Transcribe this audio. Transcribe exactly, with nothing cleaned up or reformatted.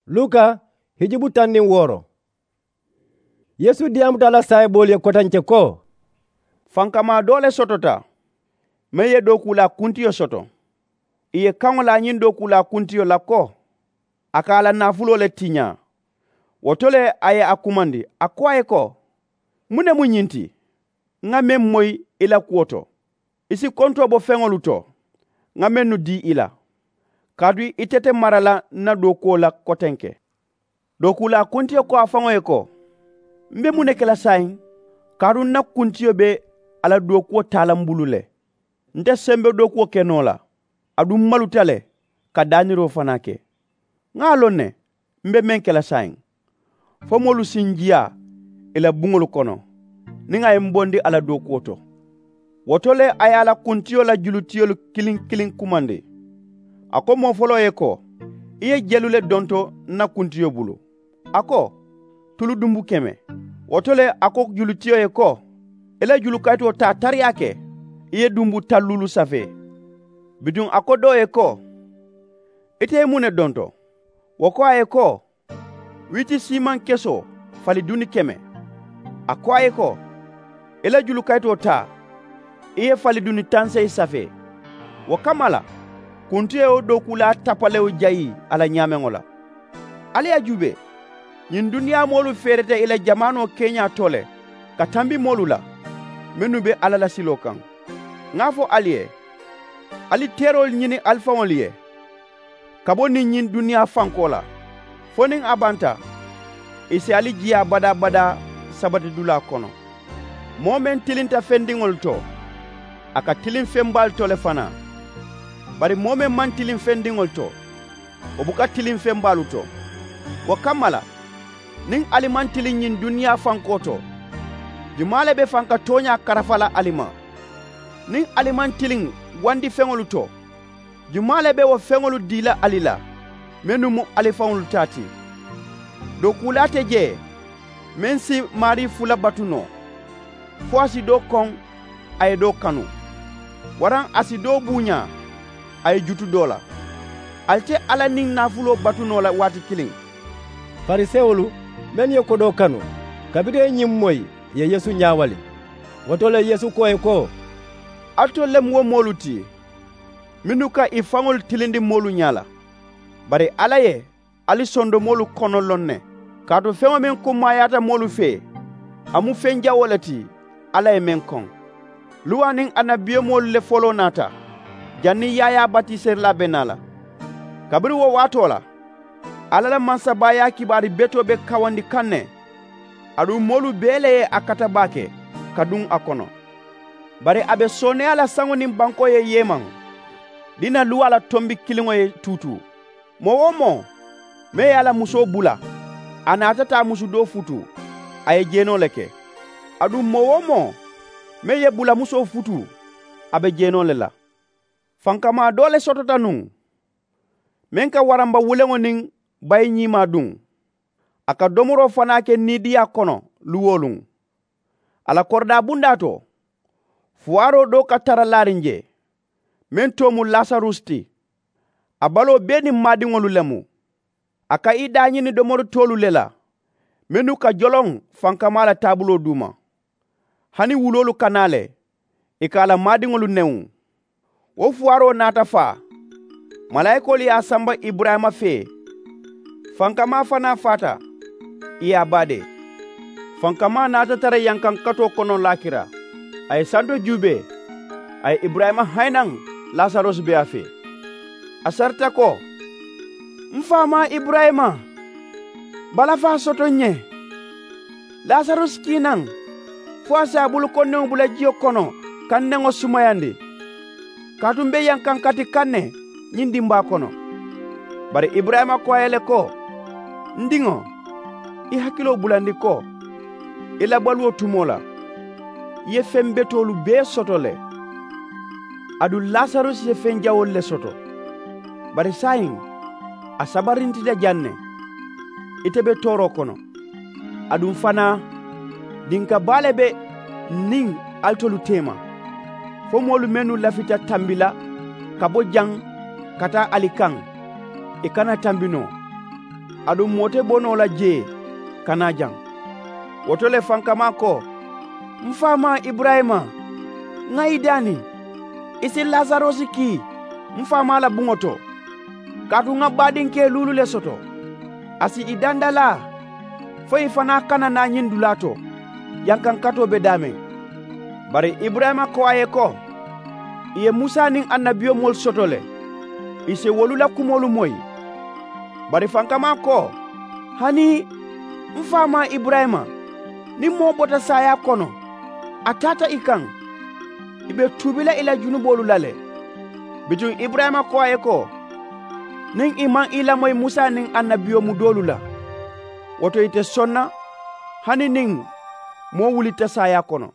Luka hijubu taŋ niŋ wooro. Yeesu diyaamuta a la saayiboolu ye kotenke ko, fankamaa doo le sotota, meŋ ye dookuulaa kuntiyo soto. Ì ye kaŋo laa ñiŋ dookuulaa kuntiyo la ko, a ka a la naafuloo le tiñaa. Wo to le a ye a kumandi, a ko a ye ko, muŋ ne mu ñiŋ ti? Ŋa meŋ moyi i la kuwo to, i si kontoo bo feŋolu to ŋa mennu dii i la, kaatu ite te mara la n na dookuwo la kotenke. Dookuulaa kuntiyo ko a faŋo ye ko, m be muŋ ne ke la saayiŋ? Kaatu n na kuntiyo be a la dookuwo taa la m bulu le. N te sembe dookuwo ke noo la, aduŋ m maluta le ka daaniroo fanaa ke. Ŋa a loŋ ne m be meŋ ke la saayiŋ, fo moolu si n jiyaa ì la buŋolu kono niŋ a ye m bondi a la dookuwo to. Wo to le a ye a la kuntiyo la julutiyolu kiliŋ kiliŋ kumandi. A ko moo foloo ye ko, i ye jelu le donto n na kuntiyo bulu. A ko, tulu dunbu keme. Wo to le a ko julutiyo ye ko, i la julukayitoo taa tariyaa ke, i ye dunbu taŋ luulu safee. Bituŋ a ko doo ye ko, ite ye muŋ ne donto? Wo ko a ye ko, wiiti siimaŋ kesoo fali duni keme. A ko a ye ko, i la julukayitoo taa, i ye fali duni taŋ seyi safee. Wo kamma la, kuntiyo ye wo dookuulaa tapalewo jayi a la ñaameŋo la. Ali ye a juubee, ñiŋ duniyaa moolu feereta ì la jamaanoo keeñaa to le ka tambi moolu la mennu be alla la siloo kaŋ. Ŋa a fo ali ye, ali teeroolu ñini ali faŋolu ye ka bo niŋ ñiŋ duniyaa fankoo la, fo niŋ a banta ì si ali jiyaa badaa badaa sabatidulaa kono. Moo meŋ tilinta fendiŋolu to, a ka tiliŋ feŋ baalu to le fanaa. Bari moo meŋ maŋ tiliŋ fendiŋolu to, wo buka tiliŋ feŋ baalu to. Wo kamma la, niŋ ali maŋ tiliŋ ñiŋ duniyaa fankoo to, jumaa le be faŋ ka tooñaa karafa la ali ma? Niŋ ali maŋ tiliŋ wandi feŋolu to, jumaa le be wo feŋolu dii la ali la mennu mu ali faŋolu taa ti? Dookuulaa te jee meŋ si maarii fula batu noo, fo a si doo koŋ, a ye doo kanu, waraŋ a si doo buuñaa, a ye jutu doo la. Ali te alla niŋ naafuloo batu noo la waati kiliŋ. Farisewolu mennu ye kodoo kanu, kabiriŋ ì ye ñiŋ moyi, ì ye yeesu ñaawali. Wo to le yeesu ko ì ye ko, alitolu le mu wo moolu ti mennu ka ì faŋolu tilindi moolu ñaa la. Bari alla ye ali sondomoolu kono loŋ ne, kaatu feŋo meŋ kummaayaata moolu fee, a mu feŋ jawoo le ti alla ye meŋ koŋ. Luwa niŋ annabiyomoolu le foloo naata, janniŋ yaayaa batiserilaa be naa la. Kabiriŋ wo waatoo la, alla la mansabaayaa kibaari betoo be kawandi kaŋ ne, aduŋ moolu bee le ye a kata baake ka duŋ a kono. Bari a be sooneeyaa la saŋo niŋ bankoo ye yeemaŋ, diina luwaa la tombi kiliŋo ye tuutuu. Moo-wo-moo meŋ ye a la musoo bula, a naata taa musu doo futuu, a ye jeenoo le ke. Aduŋ moo-wo-moo meŋ ye bulamusoo futuu, a be jeenoo le la. Fankamaa doo le sotota nuŋ, meŋ ka waramba wuleŋo niŋ bayi ñiimaa duŋ, a ka domoroo fanaa ke niidiyaa kono luŋ-wo-luŋ. A la koridaa bundaa to, fuwaaroo doo ka tara laariŋ jee, meŋ too mu lasarusi ti. A baloo bee niŋ maadiŋolu le mu. A ka i daañini domori toolu le la, mennu ka joloŋ fankamaa la taabuloo duuma. Hani wuloolu ka naa le, ì ka a la maadiŋolu newuŋ. Wo fuwaaroo naata faa, malaayikoolu ye a samba iburayima fee. Fankamaa fanaa faata, ì ye a baadee. Fankamaa naata tara yankankatoo kono laakira. A ye santo juubee, a ye iburayima hayinaŋ lasarusi be a fee. A sarita ko, m faamaa iburayima, balafaa soto n ye, lasarusi kii naŋ, fo a si a bulukondiŋo bula jiyo kono ka n neŋo sumayandi, kaatu m be yankankati kaŋ ne ñiŋ dimbaa kono. Bari iburayima ko a ye le ko, n diŋo, i hakiloo bulandi ko, i la baluwo tumoo la, i ye feŋ betoolu bee soto le. Aduŋ lasarusi ye feŋ jawoolu le soto, bari saayiŋ a sabarintita jaŋ ne. Ite be tooroo kono. Aduŋ fanaa, dinka baa le be n niŋ alitolu teema, fo moolu mennu lafita tambi la ka bo jaŋ ka taa ali kaŋ, ì kana tambi noo. Aduŋ moo te bo noo la jee ka naa jaŋ. Wo to le fankamaa ko, m faamaa iburayima, ŋa i daani i si lasarosi kii m faamaa la buŋo to, kaatu ŋa baadinkee luulu le soto. A si i dandalaa fo i fanaa kana naa ñiŋ dulaa to jankaŋ katoo be daameŋ. Bari iburayima ko a ye ko, i ye musa niŋ annabiyomoolu soto le, i si wolu la kumoolu moyi. Bari fankamaa ko, hani m faamaa iburayima, niŋ moo bota saayaa kono a taata i kaŋ, i be tuubi la i la junuboolu la le. Bituŋ iburayima ko a ye ko, niŋ i maŋ i lamoyi musa niŋ annabiyomu doolu la, wo to ite soŋ na hani niŋ moo wulitta saayaa kono.